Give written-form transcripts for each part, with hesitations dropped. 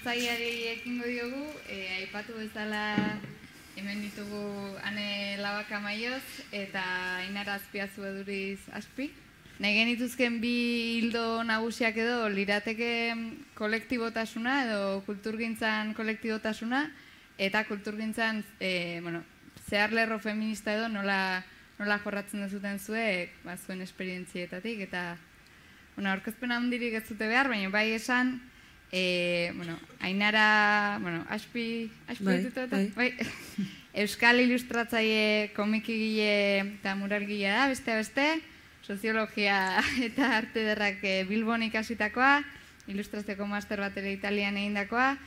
illustratzaileari ekingo diogu, aipatu bezala hemen ditugu Ane Labaka Maioz eta Ainara Azpiazu Eduriz Aspi. Nahi genituzken bi hildo nagusiak edo lirateke kolektibotasuna edo kulturgintzan kolektibotasuna eta kulturgintzan zeharlerro feminista edo nola jorratzen duzuten zuek zuen esperientzietatik eta aurkezpen handirik ez dute behar, baina bai esan Ainara, Aspi Euskal ilustratzaile, komikigile eta muralgilea da, beste, soziologia eta arte ederrak Bilbon ikasitakoa, ilustratzeko master bat ere Italian egindakoa,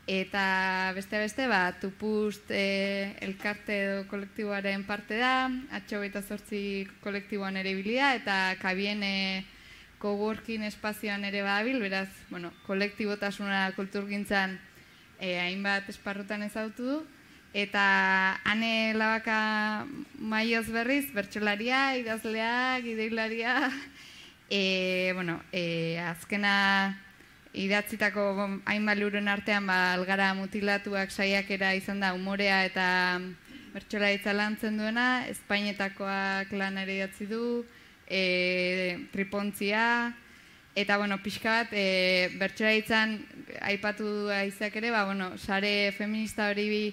eta beste, Tupust elkarte edo kolektiboaren parte da, H28 kolektiboan ere bilia, eta Kabien coworking espazioan ere badabil, beraz, kolektibotasuna kulturgintzan hainbat esparrutan ezagutu du, eta Ane Labaka Maioz berriz, bertsolaria, idazlea, gideilaria, azkena idatzitako hainbat libururen artean algara mutilatuak saiakera izan da umorea eta bertsolaritza lantzen duena, Espainetakoak lan ere idatzi du, tripontzia, eta pixka bat bertsolaritzan aipatu du aizeak ere, sare feminista hori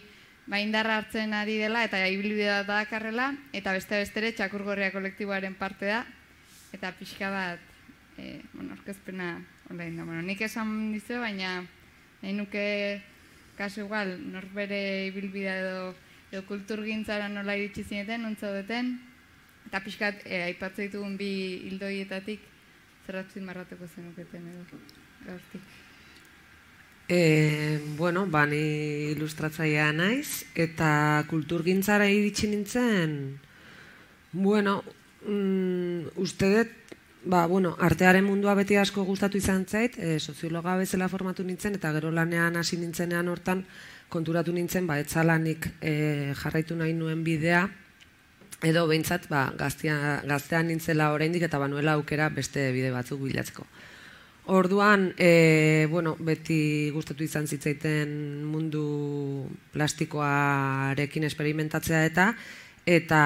indarra hartzen ari dela eta ibilbidea dakarrela, eta beste ere Txakurgorria kolektiboaren parte da, eta pixka bat aurkezpena online da. Nik esan dizu, baina nahi nuke kasu igual norbere ibilbidea edo kulturgintzara nola iritsi zineten, nontzaudeten, eta pixkat aipatzen ditugun bi hildoietatik zerratzen marratuko zenuketen edo gauztik. Ni ilustratzailea naiz, eta kulturgintzara iritsi nintzen, uste dut, artearen mundua beti asko gustatu izan zait, soziologa bezala formatu nintzen, eta gero lanean hasi nintzenean hortan konturatu nintzen, etzalanik jarraitu nahi nuen bidea, edo behintzat gaztean nintzela oraindik eta banuela aukera beste bide batzuk bilatzeko. Orduan, beti gustatu izan zitzaiten mundu plastikoarekin esperimentatzea eta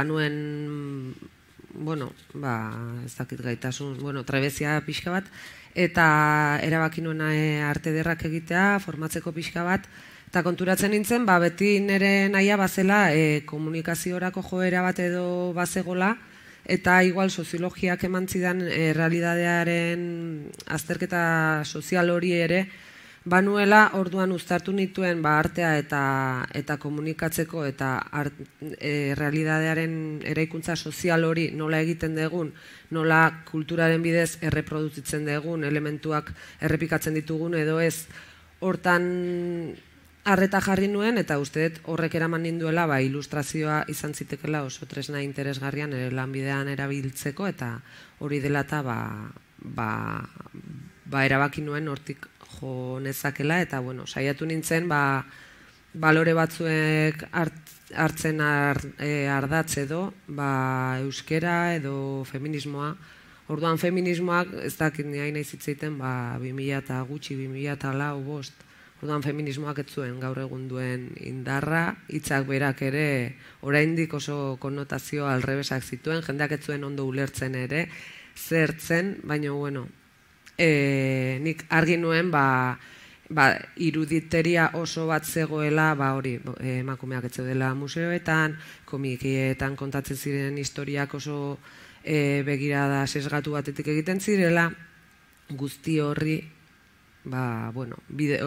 banuen, ez dakit gaitasun, trebezia pixka bat, eta erabaki nuen arte ederrak egitea, formatzeko pixka bat, eta konturatzen nintzen, beti nire nahia bazela komunikaziorako joera bat edo bazegola, eta igual soziologiak eman zidan realidadearen azterketa sozial hori ere, banuela orduan uztartu nituen artea eta komunikatzeko eta realidadearen eraikuntza sozial hori nola egiten dugun, nola kulturaren bidez erreproduzitzen dugun, elementuak errepikatzen ditugun edo ez, hortan arreta jarri nuen, eta uste dut horrek eraman ninduela ilustrazioa izan zitekela oso tresna interesgarrian lanbidean erabiltzeko, eta hori dela eta erabaki nuen hortik jo nezakela, eta saiatu nintzen balore batzuek hartzen ardatz edo euskera edo feminismoa. Orduan feminismoak ez dakit ni hain izitzeiten 2000 eta gutxi, 2000 eta lau, bost. Orduan feminismoak ez zuen gaur egun duen indarra, hitzak berak ere oraindik oso konnotazio alrebesak zituen, jendeak ez zuen ondo ulertzen ere, zertzen, baina nik argi nuen iruditeria oso bat zegoela hori emakumeak ez zeudela museoetan, komikietan kontatzen ziren historiak oso begirada sesgatu batetik egiten zirela, guzti horri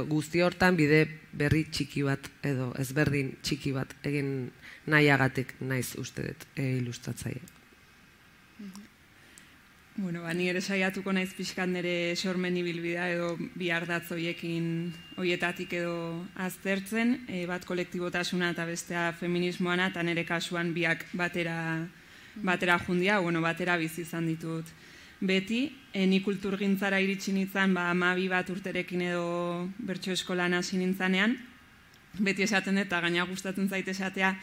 guzti hortan bide berri txiki bat edo ezberdin txiki bat egin nahiagatik naiz uste dut ilustratzaile. Ni ere saiatuko naiz pixkat nire sormen ibilbidea edo bi ardatz hoietatik edo aztertzen, bat kolektibotasuna eta bestea feminismoana, eta nire kasuan biak batera jundia, batera bizi izan ditut. Beti, ni kulturgintzara iritsi nintzen 12 bat urterekin edo bertso eskolan hasi nintzanean, beti esaten dut, eta gaina gustatzen zaite esatea,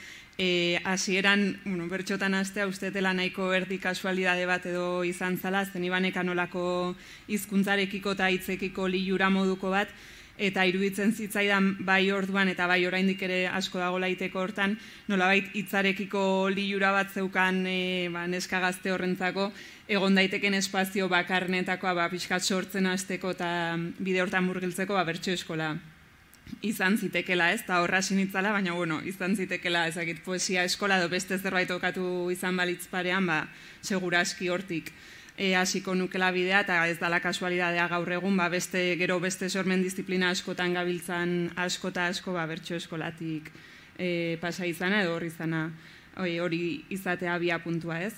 hasieran, bertxotan hastea, ustetela nahiko erdi kasualidade bat edo izan zala, zen ibanek anolako hizkuntzarekiko eta hitzekiko lilura moduko bat, eta iruditzen zitzaidan bai orduan eta bai oraindik ere asko dago laiteko hortan, nolabait hitzarekiko lilura bat zeukan neska gazte horrentzako, egon daiteken espazio bakarnetakoa pixkat sortzen hasteko eta bide hortan murgiltzeko bertso eskola izan zitekela, ez, eta horra sinitzala, baina izan zitekela, ezakit, poesia eskola edo beste zerbait okatu izan balitz parean, seguraski hortik hasiko nukela bidea, eta ez dala kasualidadea gaur egun, gero beste sormen disiplina askotan gabiltzan asko eta asko bertso eskolatik pasa izana edo hori izatea abia puntua, ez.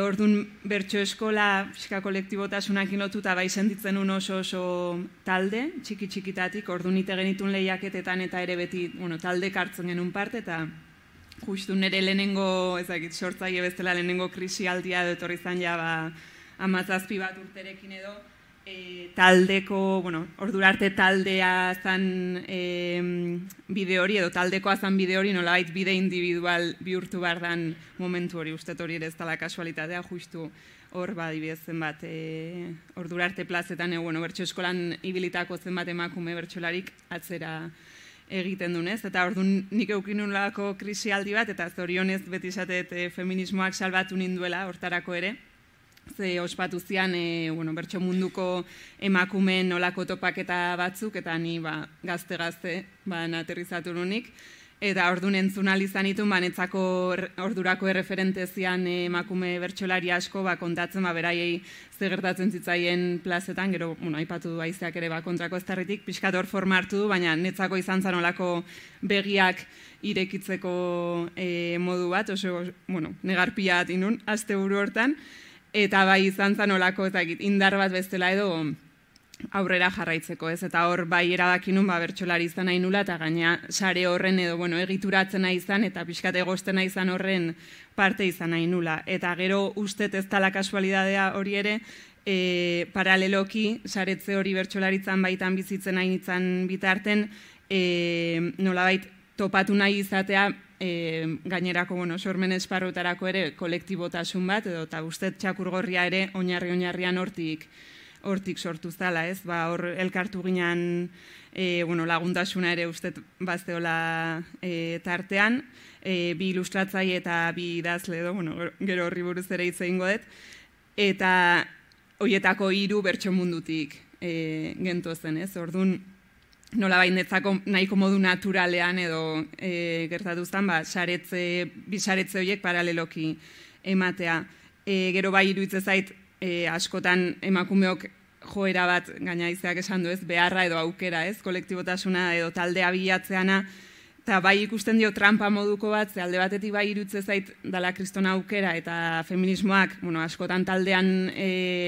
Orduan bertso eskola pixka kolektibotasunakin lotuta bai sentitzen oso talde, txiki-txikitatik, orduan ite genitun lehiaketetan eta ere beti talde hartzen genuen parte, eta justu nire lehenengo, sortzaile bestela lehenengo krisialdia edo etorri zan 17 bat urterekin edo, taldeko, ordurarte taldea zan bide hori, edo taldekoa zan bide hori, nolabait bide individual bihurtu behar dan momentu hori, uste hori ere ez dala kasualitatea, justu hor adibidez zenbat ordurarte plazetan, bertso eskolan ibilitako zenbat emakume bertsolarik atzera egiten dunez, eta orduan nik eukin nolako krisialdi bat, eta zorionez beti esatet feminismoak salbatu ninduela hortarako ere, ze ospatu zian bertso munduko emakumeen nolako topaketa batzuk, eta ni gazte-gazte aterrizatu nunik, eta orduan entzun izan itun, netzako ordurako erreferente zian emakume bertsolari asko kontatzen beraiei ze gertatzen zitzaien plazetan, gero aipatu du haizeak ere kontrako eztarritik, pixkat hor forma hartu du, baina netzako izan zan olako begiak irekitzeko modu bat, oso negarpia bat inun, asteburu hortan, eta bai izan zan olako indar bat bestela edo aurrera jarraitzeko, ez, eta hor bai erabakinun bertsolari izan nahi nula, eta gaina sare horren edo egituratzen nahi izan, eta pixkat egosten nahi izan horren parte izan nahi nula. Eta gero ustet ez dala kasualidadea hori ere, paraleloki, saretze hori bertsolaritzan baitan bizitzen nahi nintzen bitarten, nolabait topatu nahi izatea, gainerako sormen esparrutarako ere kolektibotasun bat, edo eta ustet txakurgorria ere oinarrian hortik sortu zala, ez? Hor elkartu ginen laguntasuna ere ustet bazteola tartean, bi ilustratzaile eta bi idazle edo, gero horri buruz ere hitz egingo dut, eta horietako 3 bertso mundutik gentozen, ez? Orduan, nolabait netzako nahiko modu naturalean edo gertatu zen, bi saretze horiek paraleloki ematea. Gero bai iruditzen zait, askotan emakumeok joera bat, gaina izeak esan du ez, beharra edo aukera, ez, kolektibotasuna edo taldea bilatzeana, eta bai ikusten dio trampa moduko bat, ze alde batetik bai iruditzen zait dala kristona aukera, eta feminismoak, askotan taldean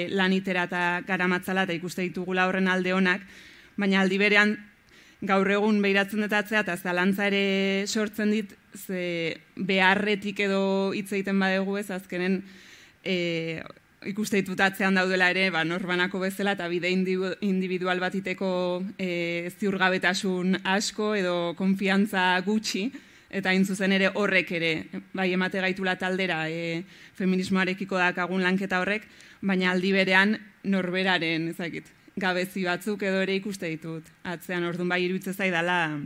lanitera eta garamatzala, eta ikuste ditugula horren alde honak, baina aldi berean gaur egun behiratzen detatzea, eta zalantza ere sortzen dit, ze beharretik edo hitz egiten badegu ez, azkenen ikuste ditutatzean daudela ere, norbanako bezala, eta bide individual batiteko ziurgabetasun asko edo konfiantza gutxi, eta zuzen ere horrek ere, bai emate gaitula taldera feminismoarekiko dakagun lanketa horrek, baina aldi berean norberaren, ezakit, gabezi batzuk edo ere ikuste ditut. Atzean orduan bai iruditzen zaidala,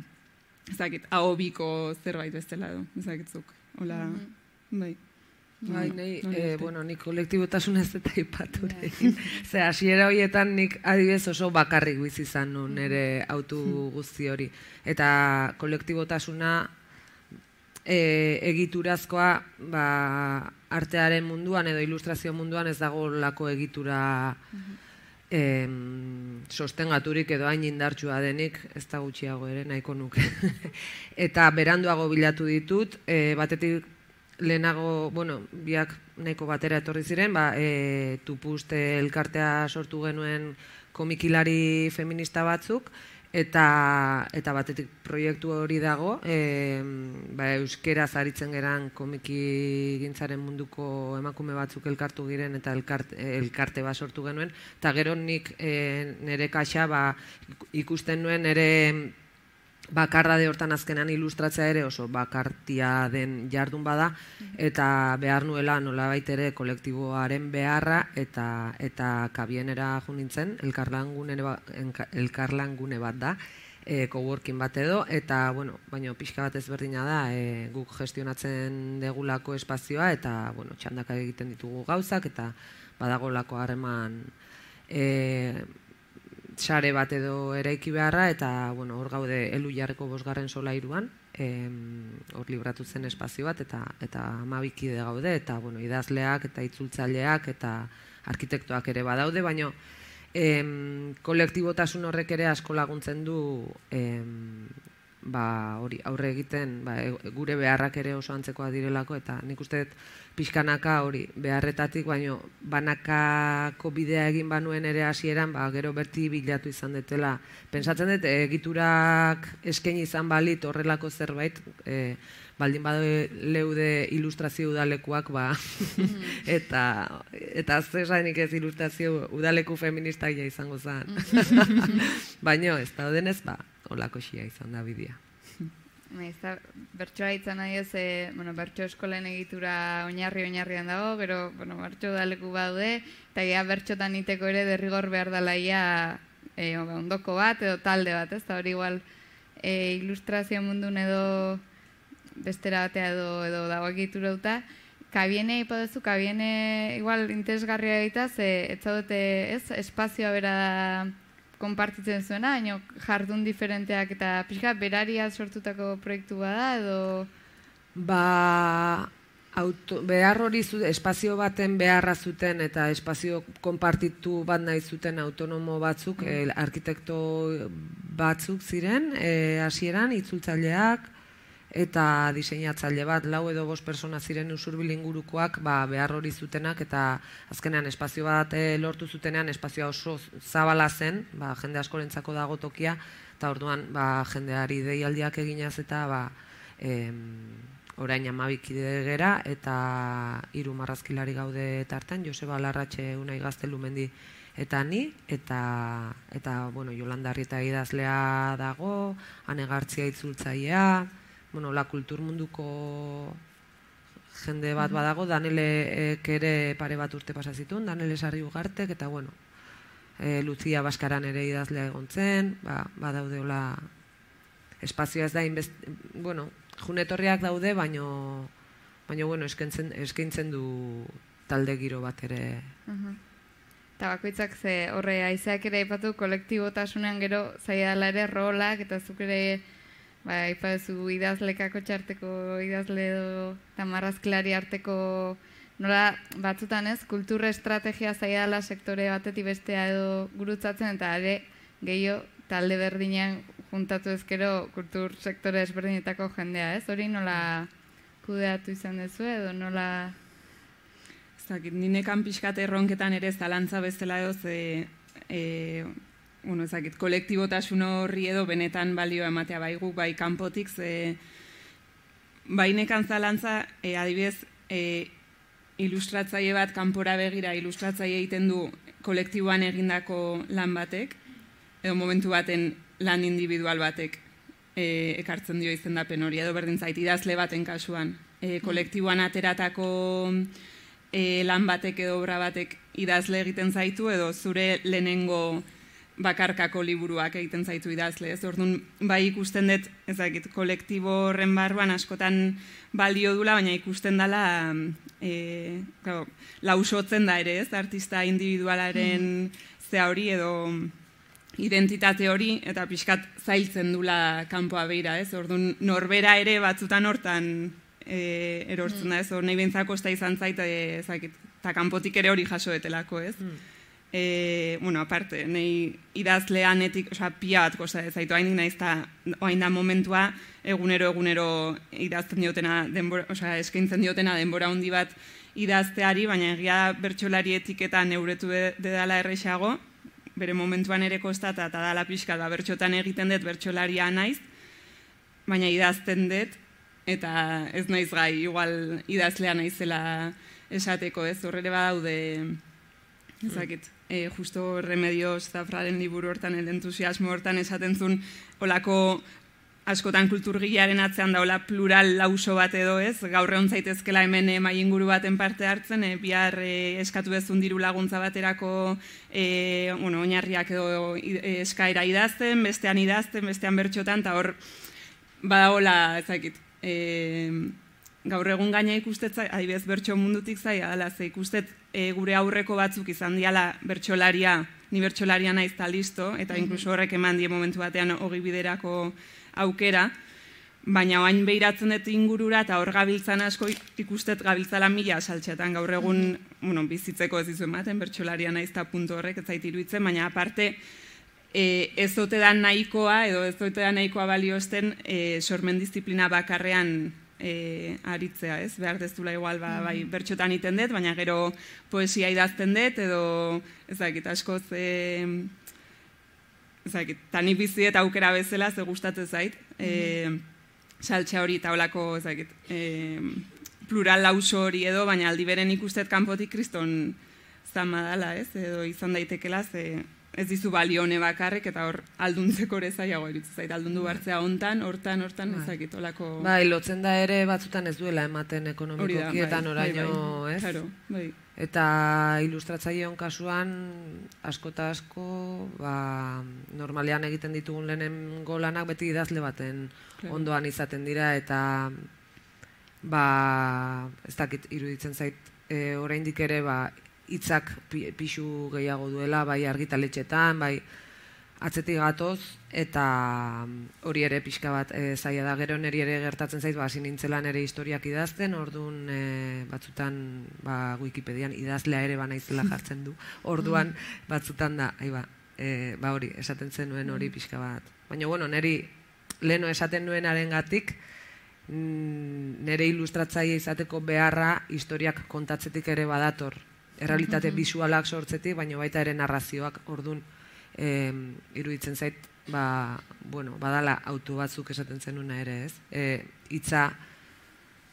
ezakit, ahobiko zerbait bestela edo, ezakitzuk. Hola, bai. Bai, nik kolektibotasun ez eta ipatu egin. Ze, hasiera horietan nik adibidez oso bakarrik bizi izan nun nire autu guzti hori. Eta kolektibotasuna egiturazkoa artearen munduan edo ilustrazio munduan ez dago lako egitura sostengaturik edo hain indartsua denik, ez da gutxiago ere, nahiko nuke. Eta beranduago bilatu ditut, batetik lehenago, biak nahiko batera etorri ziren, Tupuste elkartea sortu genuen komikilari feminista batzuk, eta batetik proiektu hori dago, euskeraz aritzen geran komiki gintzaren munduko emakume batzuk elkartu giren eta elkarte bat sortu genuen, eta gero nik nire kaxa ikusten nuen nire bakardade hortan azkenan ilustratzea ere oso bakartia den jardun bada, eta behar nuela nolabait ere kolektiboaren beharra eta kabienera jo nintzen, elkarlangune bat da, coworking bat edo, eta, bueno, baina pixka bat ezberdina da, guk gestionatzen degulako espazioa, eta, bueno, txandaka egiten ditugu gauzak, eta badagolako harreman sare bat edo eraiki beharra, eta, bueno, hor gaude Elu Jarreko 5. solairuan, hor libratu zen espazio bat, eta 12 kide gaude, eta, bueno, idazleak, eta itzultzaileak, eta arkitektoak ere badaude, baina kolektibotasun horrek ere asko laguntzen du hori aurre egiten, gure beharrak ere oso antzekoa direlako, eta nik uste pixkanaka hori beharretatik, baino banakako bidea egin banuen ere hasieran, gero berti bilatu izan detela. Pentsatzen dut, egiturak eskaini izan balit horrelako zerbait, baldin badaude ilustrazio udalekuak, eta zesanik ez ilustrazio udaleku feministaia izango zen. Baina ez daudenez, holako xia izan da bidea. Bertsoa izan nahi ez, bertso eskolen egitura oinarrian dago, gero bertso udaleku badaude, eta gea bertxotan iteko ere derrigor behar dalaia ondoko bat edo talde bat, ez da hori igual ilustrazio mundun edo bestera batea edo dago egitura duta. Kabiene ipadezu, kabiene igual interesgarria egita, ez zaudete espazioa bera da konpartitzen zuena, baina jardun diferenteak eta pixka berariaz sortutako proiektu bada edo? Behar hori espazio baten beharra zuten eta espazio konpartitu bat nahi zuten autonomo batzuk, arkitekto batzuk ziren, hasieran itzultzaileak eta diseinatzaile bat, 4 edo 5 persona ziren Usurbil ingurukoak behar hori zutenak, eta azkenean espazio bat lortu zutenean, espazioa oso zabala zen, jende askorentzako dago tokia, eta orduan jendeari deialdiak eginaz eta orain 12 kide gera, eta 3 marrazkilari gaude tartean, Joseba Larratxe, Unai Gaztelumendi eta ni, eta Jolanda Arrieta idazlea dago, Ane Gartzia itzultzailea, la kultur munduko jende bat badago, Danelek ere pare bat urte pasazitun, Danele Sarri Ugartek, eta Lutzia Baskaran ere idazlea egon zen, badaude hola espazioa ez da, junetorriak daude, baino eskaintzen du talde giro bat ere. Eta bakoitzak horre aizeak ere aipatu kolektibotasunean gero zaila dela ere rolak, eta zuk ere ipadezu idazlekako txarteko idazle edo eta marrazkilari arteko nola batzutan ez, kultura estrategia zaila dela sektore batetik bestea edo gurutzatzen, eta ere gehiago talde berdinean juntatu ezkero kultur sektore ezberdinetako jendea, ez? Hori nola kudeatu izan dezu edo nola? Ninekan pixkat erronketan ere zalantza bezala edo kolektibotasun horri edo benetan balioa ematea guk bai kanpotik, nekan zalantza, adibidez, ilustratzaile bat kanpora begira ilustratzaile egiten du kolektiboan egindako lan batek, edo momentu baten lan individual batek ekartzen dio izendapen hori, edo berdin zait, idazle baten kasuan. Kolektiboan ateratako lan batek edo obra batek idazle egiten zaitu, edo zure lehenengo bakarkako liburuak egiten zaitu idazle. Orduan, bai ikusten dut, kolektibo horren barruan askotan balio dula, baina ikusten dela lausotzen da ere, artista individualaren zea hori edo identitate hori, eta pixkat zailtzen dula kanpoa beira, orduan norbera ere batzutan hortan erortzen da, nahi bentzako ez da izan zait, eta kanpotik ere hori jasoetelako, aparte, nahi idazleanetik, pia bat kosta ez zaitu, hain da momentua egunero idazten diotena, eskaintzen diotena denbora handi bat idazteari, baina egia bertsolari eta neuretu dedala errexago, bere momentuan ere kostata eta dala pixka da bertxotan egiten dut bertsolaria naiz, baina idazten dut, eta ez naiz gai, igual idazlea naizela esateko, horrele badaude, justo Remedios Zafraren liburu hortan, el entusiasmo hortan esaten zuen, olako askotan kulturgilearen atzean daula plural lauso bat edo ez, gaur egon zaitezkela hemen mai inguru baten parte hartzen, bihar eskatu bezun diru laguntza baterako oinarriak edo eskaera idazten, bestean bertxotan, eta hor badagola, ezakit, gaur egun gaina ikustet, adibidez bertso mundutik zaila dela, ze ikustet gure aurreko batzuk izan diala bertsolaria, ni bertsolaria naiz ta listo, eta inkluso horrek eman die momentu batean ogi biderako aukera, baina oain behiratzen dut ingurura eta hor gabiltzan asko ikustet gabiltzala mila saltxetan gaur egun bizitzeko ez dizu ematen, bertsolaria naiz ta puntu horrek ez zait iruditzen, baina aparte ez ote da nahikoa edo ez ote da nahikoa baliosten sormen disiplina bakarrean aritzea, ez? Behar dezula igual, bai, bertxotan iten dut, baina gero poesia idazten dut, edo, ezakit, askoz, ezakit, tani bizi eta aukera bezala, ze gustatzen zait, saltxa hori eta olako, ezakit, plural lauso hori edo, baina aldi beren ikustet kanpotik kriston zama dala, ez? Edo izan daitekela, ze ez dizu balione bakarrek, eta hor alduntzeko ere zailago iruditzen zait, aldundu bartzea hontan, hortan, ezakit, olako... Bai, lotzen da ere batzutan ez duela ematen ekonomikoki eta noraino, ez? Claro, bai. Eta ilustratzaileon kasuan, asko eta asko, normalean egiten ditugun lehenengo lanak beti idazle baten ondoan izaten dira, eta ez dakit iruditzen zait, oraindik ere, hitzak pixu gehiago duela, bai argitaletxetan, bai atzetik gatoz, eta hori ere pixka bat zaila da, gero niri ere gertatzen zait, hasi nintzela nire historiak idazten, orduan batzutan Wikipedian idazlea ere banaizela jartzen du, orduan batzutan da, hori, esaten zenuen hori pixka bat. Baina, bueno, niri leheno esaten nuenaren gatik, nire ilustratzaile izateko beharra historiak kontatzetik ere badator, errealitate bisualak sortzetik, baina baita ere narrazioak, orduan iruditzen zait, badala auto batzuk esaten zenuna ere, ez? Hitza,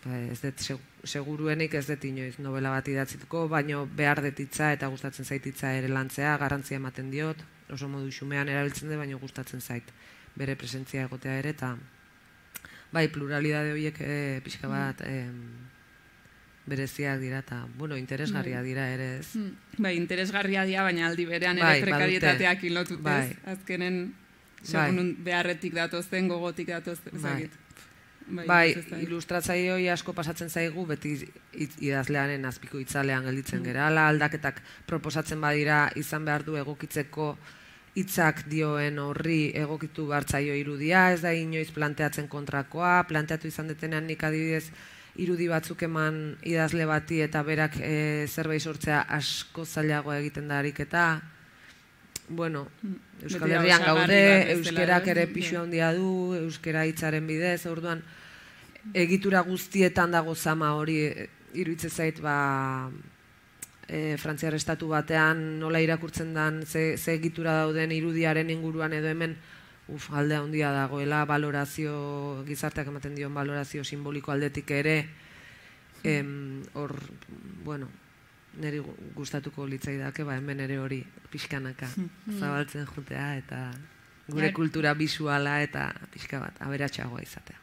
ez dut seguruenik ez dut inoiz novela bat idatzituko, baina behar dut hitza eta gustatzen zait hitza ere lantzea, garrantzia ematen diot, oso modu xumean erabiltzen dut, baina gustatzen zait bere presentzia egotea ere, eta bai, pluralidade horiek pixka bat bereziak dira, eta, interesgarria dira ere, ez? Bai, interesgarria dira, baina aldi berean ere prekarietateak ilotut, ez? Azkenen, segun beharretik datozen, gogotik datozen, ezagit. Bai, ilustratzaile asko pasatzen zaigu, beti idazlearen azpiko itzalean gelditzen gerala, aldaketak proposatzen badira izan behar du egokitzeko hitzak dioen horri egokitu behartzaio irudia, ez da inoiz planteatzen kontrakoa, planteatu izan detenean nik adibidez irudi batzuk eman idazle bati eta berak zerbait sortzea asko zailagoa egiten da ariketa. Euskal Herrian gaude, euskerak ere pixu handia du, euskera hitzaren bidez, orduan egitura guztietan dago zama hori iruditzen zait, Frantziar estatu batean nola irakurtzen den, ze egitura dauden irudiaren inguruan edo hemen alde handia dagoela, valorazio, gizarteak ematen dion valorazio simboliko aldetik ere, hor, niri gustatuko litzaidake, hemen ere hori pixkanaka zabaltzen jutea, eta gure kultura bisuala eta pixka bat aberatsagoa izatea.